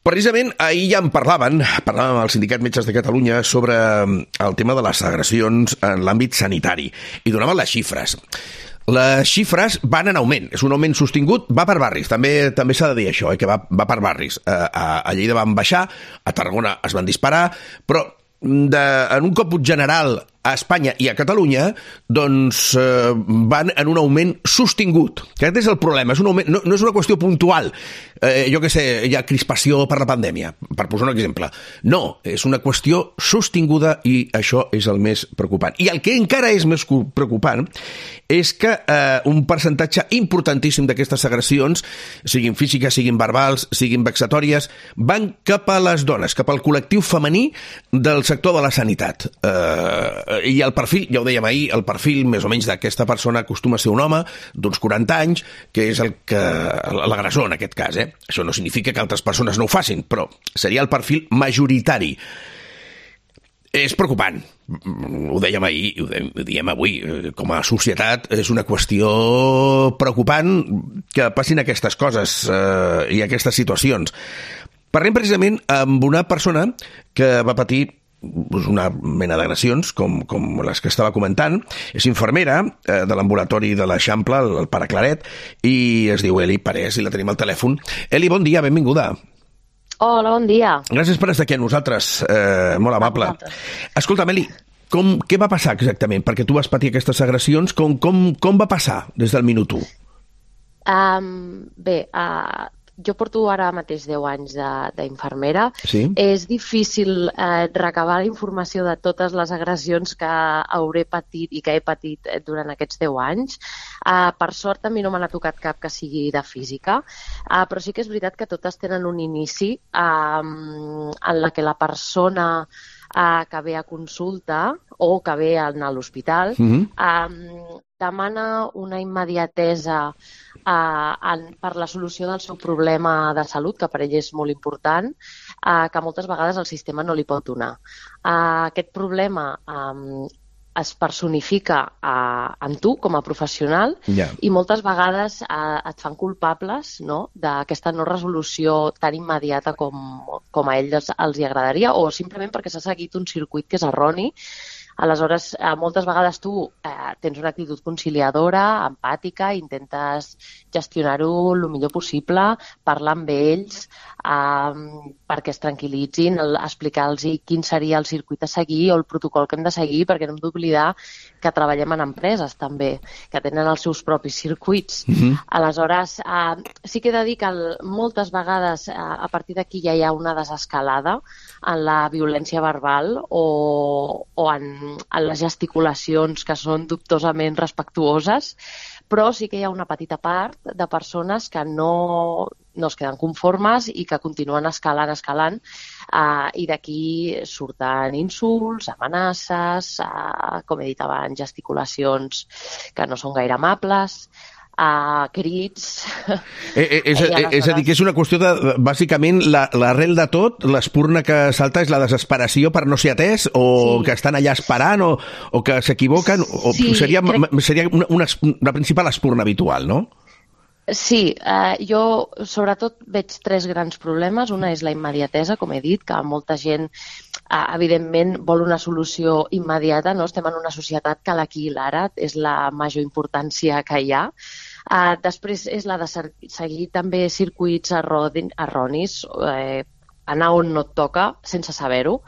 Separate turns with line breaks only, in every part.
Precisament ahir ja en parlàvem amb el Sindicat Metges de Catalunya sobre el tema de les agressions en l'àmbit sanitari i donaven les xifres. Les xifres van en augment, és un augment sostingut, va per barris, també s'ha de dir això, que va per barris. A Lleida van baixar, a Tarragona es van disparar, però en un còmput general a Espanya i a Catalunya doncs van en un augment sostingut. Aquest és el problema, és un augment, no és una qüestió puntual. Jo què sé, hi ha crispació per la pandèmia, per posar un exemple. No, és una qüestió sostinguda i això és el més preocupant. I el que encara és més preocupant és que un percentatge importantíssim d'aquestes agressions, siguin físiques, siguin verbals, siguin vexatòries, van cap a les dones, cap al col·lectiu femení del sector de la sanitat. I el perfil, ja ho dèiem ahir, el perfil més o menys d'aquesta persona acostuma a ser un home d'uns 40 anys, que és l'agressor en aquest cas. Això no significa que altres persones no ho facin, però seria el perfil majoritari. És preocupant. Ho dèiem ahir, ho diem avui. Com a societat és una qüestió preocupant que passin aquestes coses i aquestes situacions. Parlem precisament amb una persona que va patir una mena d'agressions, com les que estava comentant. És infermera de l'ambulatori de l'Eixample, el Pare Claret, i es diu Eli Parés, i la tenim al telèfon. Eli, bon dia, benvinguda.
Hola, bon dia.
Gràcies per estar aquí amb nosaltres, molt amable. Escolta'm, Eli, què va passar exactament? Perquè tu vas patir aquestes agressions, com va passar des del minut 1?
Jo porto ara mateix 10 anys d'infermera.
Sí?
És difícil recabar la informació de totes les agressions que hauré patit i que he patit durant aquests 10 anys. Per sort, a mi no me n'ha tocat cap que sigui de física, però sí que és veritat que totes tenen un inici en la que la persona que ve a consulta o que ve a l'hospital demana una immediatesa per la solució del seu problema de salut, que per ell és molt important, que moltes vegades el sistema no li pot donar. Aquest problema es personifica en tu com a professional i moltes vegades et fan culpables, no?, d'aquesta no resolució tan immediata com a ells els hi agradaria, o simplement perquè s'ha seguit un circuit que és erroni. Aleshores, moltes vegades tu tens una actitud conciliadora, empàtica, intentes gestionar-ho el millor possible, parlar amb ells perquè es tranquil·litzin, explicar-los quin seria el circuit a seguir o el protocol que hem de seguir, perquè no hem d'oblidar que treballem en empreses també, que tenen els seus propis circuits. Aleshores, sí que he de dir que moltes vegades a partir d'aquí ja hi ha una desescalada en la violència verbal o en les gesticulacions que són dubtosament respectuoses, però sí que hi ha una petita part de persones que no es queden conformes i que continuen escalant, i d'aquí surten insults, amenaces, com he dit abans, gesticulacions que no són gaire amables, crits...
És a dir, que és una qüestió de, bàsicament, l'arrel de tot, l'espurna que salta és la desesperació per no ser atès, o que estan allà esperant, o que s'equivoquen, o seria la principal espurna habitual, no?
Sí, jo sobretot veig 3 grans problemes. Una és la immediatesa, com he dit, que molta gent evidentment vol una solució immediata, no? Estem en una societat que l'aquí i l'ara és la major importància que hi ha. Després és la de seguir també circuits erronis, anar on no et toca sense saber-ho,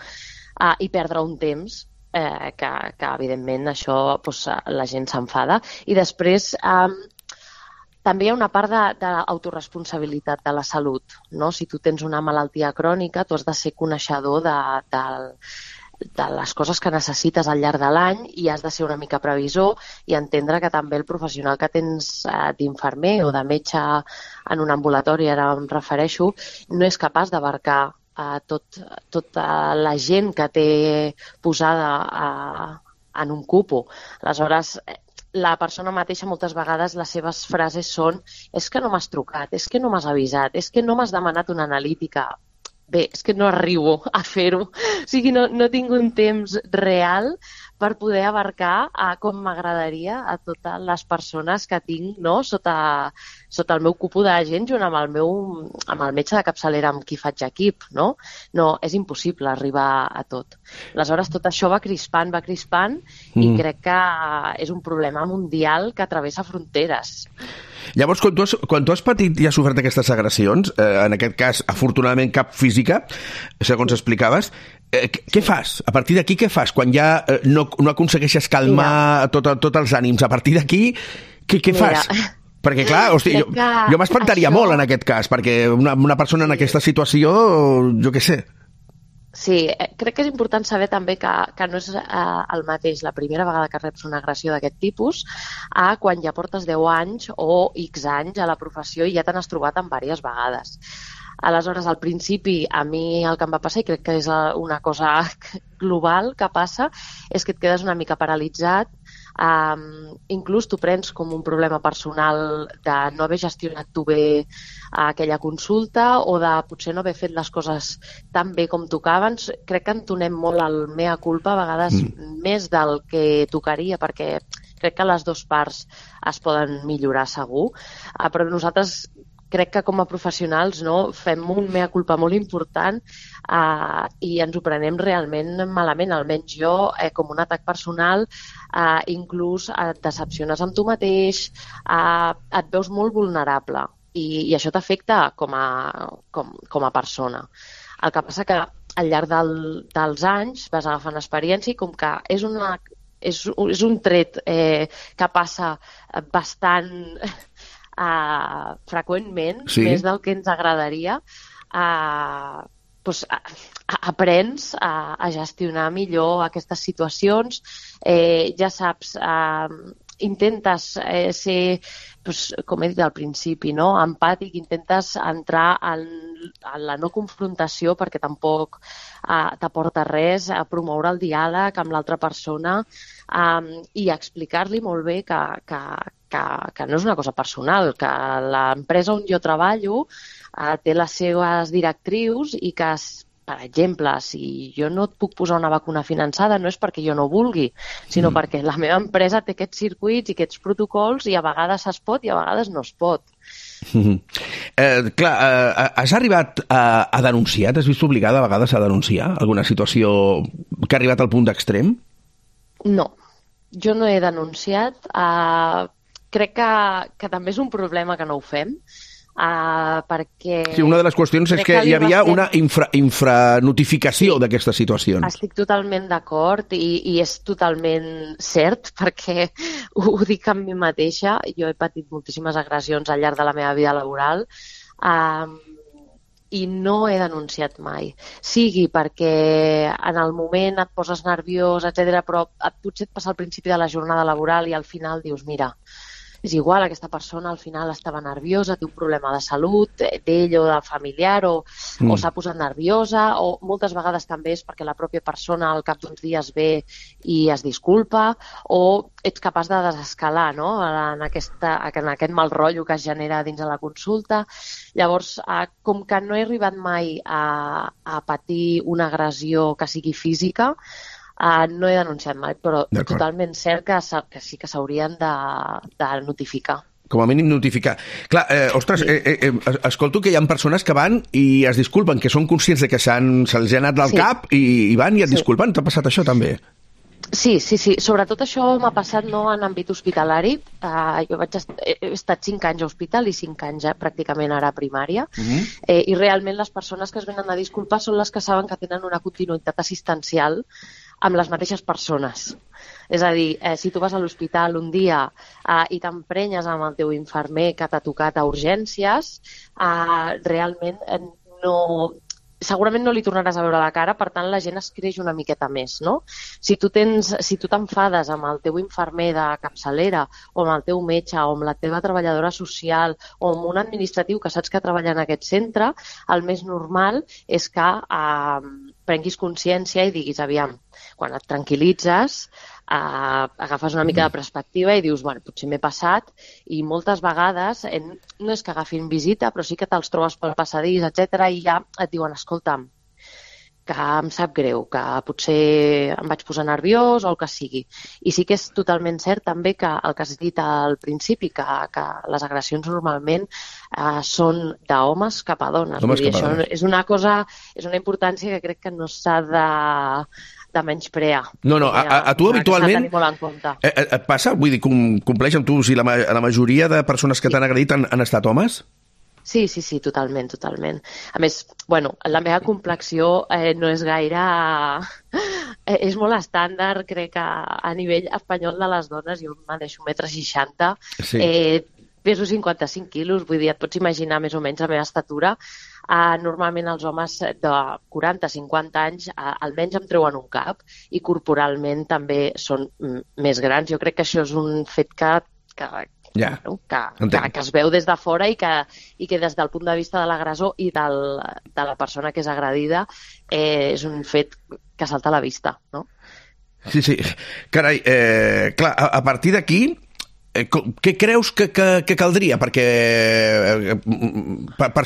i perdre un temps que evidentment això la gent s'enfada. I després també hi ha una part d'autoresponsabilitat de la salut, no? Si tu tens una malaltia crònica, tu has de ser coneixedor de les coses que necessites al llarg de l'any i has de ser una mica previsor i entendre que també el professional que tens d'infermer o de metge en un ambulatori, ara em refereixo, no és capaç d'abarcar tota la gent que té posada en un cupo. Aleshores, la persona mateixa moltes vegades les seves frases són és que no m'has trucat, és que no m'has avisat, és que no m'has demanat una analítica. Bé, és que no arribo a fer-ho. O sigui, no tinc un temps real per poder abarcar com m'agradaria a totes les persones que tinc, no?, sota el meu cupo de gent, junt amb el metge de capçalera amb qui faig equip, no? No, és impossible arribar a tot. Aleshores, tot això va crispant, i crec que és un problema mundial que travessa fronteres.
Llavors, quan tu has patit i has sofert aquestes agressions, en aquest cas, afortunadament, cap física, segons explicaves, què fas? A partir d'aquí, què fas? Quan ja no aconsegueixes calmar tots els ànims, a partir d'aquí, què fas? Perquè, clar, hosti, jo m'espantaria molt en aquest cas, perquè una persona en aquesta situació, jo què sé.
Sí, crec que és important saber també que no és el mateix la primera vegada que reps una agressió d'aquest tipus a quan ja portes 10 anys o X anys a la professió i ja te n'has trobat en diverses vegades. Aleshores, al principi, a mi el que em va passar, i crec que és una cosa global que passa, és que et quedes una mica paralitzat. Inclús t'ho prens com un problema personal de no haver gestionat tu bé aquella consulta o de potser no haver fet les coses tan bé com tocaven. Crec que entonem molt el mea culpa, a vegades més del que tocaria, perquè crec que les dues parts es poden millorar segur, però nosaltres crec que com a professionals fem un mea culpa molt important i ens ho prenem realment malament, almenys jo, com un atac personal, inclús et decepciones amb tu mateix, et veus molt vulnerable i això t'afecta com a persona. El que passa que al llarg dels anys vas agafant experiència i com que és un tret que passa bastant freqüentment, més del que ens agradaria, aprens a gestionar millor aquestes situacions, ja saps, intentes ser, com he dit al principi, empàtic, intentes entrar en la no confrontació perquè tampoc t'aporta res, a promoure el diàleg amb l'altra persona i explicar-li molt bé que no és una cosa personal, que l'empresa on jo treballo té les seves directrius i que, per exemple, si jo no et puc posar una vacuna finançada no és perquè jo no vulgui, sinó perquè la meva empresa té aquests circuits i aquests protocols i a vegades es pot i a vegades no es pot.
Clar, has arribat a denunciar? T'has vist obligada a vegades a denunciar alguna situació que ha arribat al punt d'extrem?
No, jo no he denunciat. Crec que també és un problema que no ho fem, perquè...
Sí, una de les qüestions és que hi havia una infranotificació d'aquestes situacions.
Estic totalment d'acord i és totalment cert, perquè ho dic amb mi mateixa. Jo he patit moltíssimes agressions al llarg de la meva vida laboral i no he denunciat mai. Sigui perquè en el moment et poses nerviós, etc., però potser et passa al principi de la jornada laboral i al final dius, mira, és igual, aquesta persona al final estava nerviosa, té un problema de salut, d'ell o del familiar, o s'ha posat nerviosa, o moltes vegades també és perquè la pròpia persona al cap d'uns dies ve i es disculpa, o ets capaç de desescalar en aquest mal rotllo que es genera dins de la consulta. Llavors, com que no he arribat mai a patir una agressió que sigui física, no he denunciat mai, però totalment cert que sí que s'haurien de notificar.
Com a mínim notificar. Clar, ostres, escolto que hi ha persones que van i es disculpen, que són conscients de que se'ls ha anat del cap i van i et disculpen. T'ha passat això també?
Sí. Sobretot això m'ha passat en àmbit hospitalari. Jo he estat 5 anys a hospital i 5 anys pràcticament ara a primària. I realment les persones que es venen a disculpar són les que saben que tenen una continuïtat assistencial amb les mateixes persones. És a dir, si tu vas a l'hospital un dia i t'emprenyes amb el teu infermer que t'ha tocat a urgències, realment segurament no li tornaràs a veure la cara, per tant la gent es creix una miqueta més, no? Si tu t'enfades amb el teu infermer de capçalera o amb el teu metge o amb la teva treballadora social o amb un administratiu que saps que treballa en aquest centre, el més normal és que prenguis consciència i diguis, aviam, quan et tranquil·litzes, agafes una mica de perspectiva i dius, bueno, potser m'he passat, i moltes vegades no és que agafin visita, però sí que te'ls trobes pel passadís, etc., i ja et diuen, escolta'm, que em sap greu, que potser em vaig posar nerviós o el que sigui. I sí que és totalment cert també que el que has dit al principi, que les agressions normalment són d'homes cap a dones. Vull dir, això és una cosa, és una importància que crec que no s'ha de menysprear.
No, a tu habitualment et passa? Vull dir, compleix amb tu si la majoria de persones que t'han agredit han estat homes?
Sí, totalment. A més, la meva complexió no és gaire... és molt estàndard, crec, a nivell espanyol de les dones. Jo me deixo 1,60 m, peso 55 quilos, vull dir, et pots imaginar més o menys la meva estatura. Normalment els homes de 40-50 anys almenys em treuen un cap i corporalment també són més grans. Jo crec que això és un fet que es veu des de fora i que des del punt de vista de l'agressor i de la persona que és agredida és un fet que salta a la vista, no?
Sí. Carai, clar, a partir d'aquí, què creus que caldria per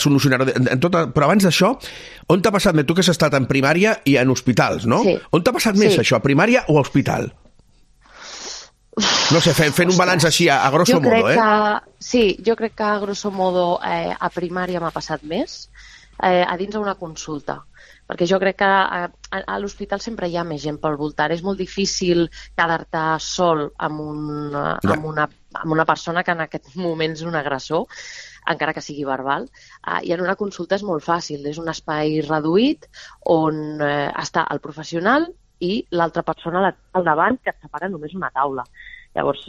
solucionar-ho? Però abans d'això, on t'ha passat més? Tu que has estat en primària i en hospitals, no?
Sí.
On t'ha passat més això, a primària o a hospital? No sé, fent un balanç així, a grosso modo,
Sí, jo crec que a grosso modo a primària m'ha passat més, a dins d'una consulta. Perquè jo crec que a l'hospital sempre hi ha més gent pel voltant. És molt difícil quedar-te sol amb una persona que en aquest moment és un agressor, encara que sigui verbal. I en una consulta és molt fàcil. És un espai reduït on està el professional i l'altra persona al davant, que et separa només una taula. Llavors,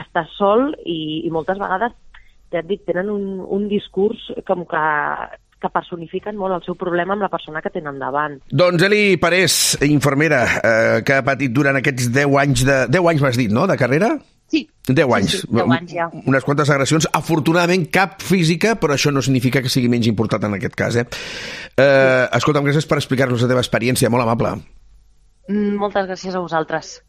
estàs sol i moltes vegades, ja et dic, tenen un discurs com que personifiquen molt el seu problema amb la persona que tenen davant.
Doncs Eli Parés, infermera, que ha patit durant aquests 10 anys 10 anys m'has dit, no?, de carrera?
Sí.
10 anys.
Sí, 10 anys ja.
Unes quantes agressions, afortunadament cap física, però això no significa que sigui menys important en aquest cas, Escolta'm, gràcies per explicar-nos la teva experiència, molt amable.
Moltes gràcies a vosaltres.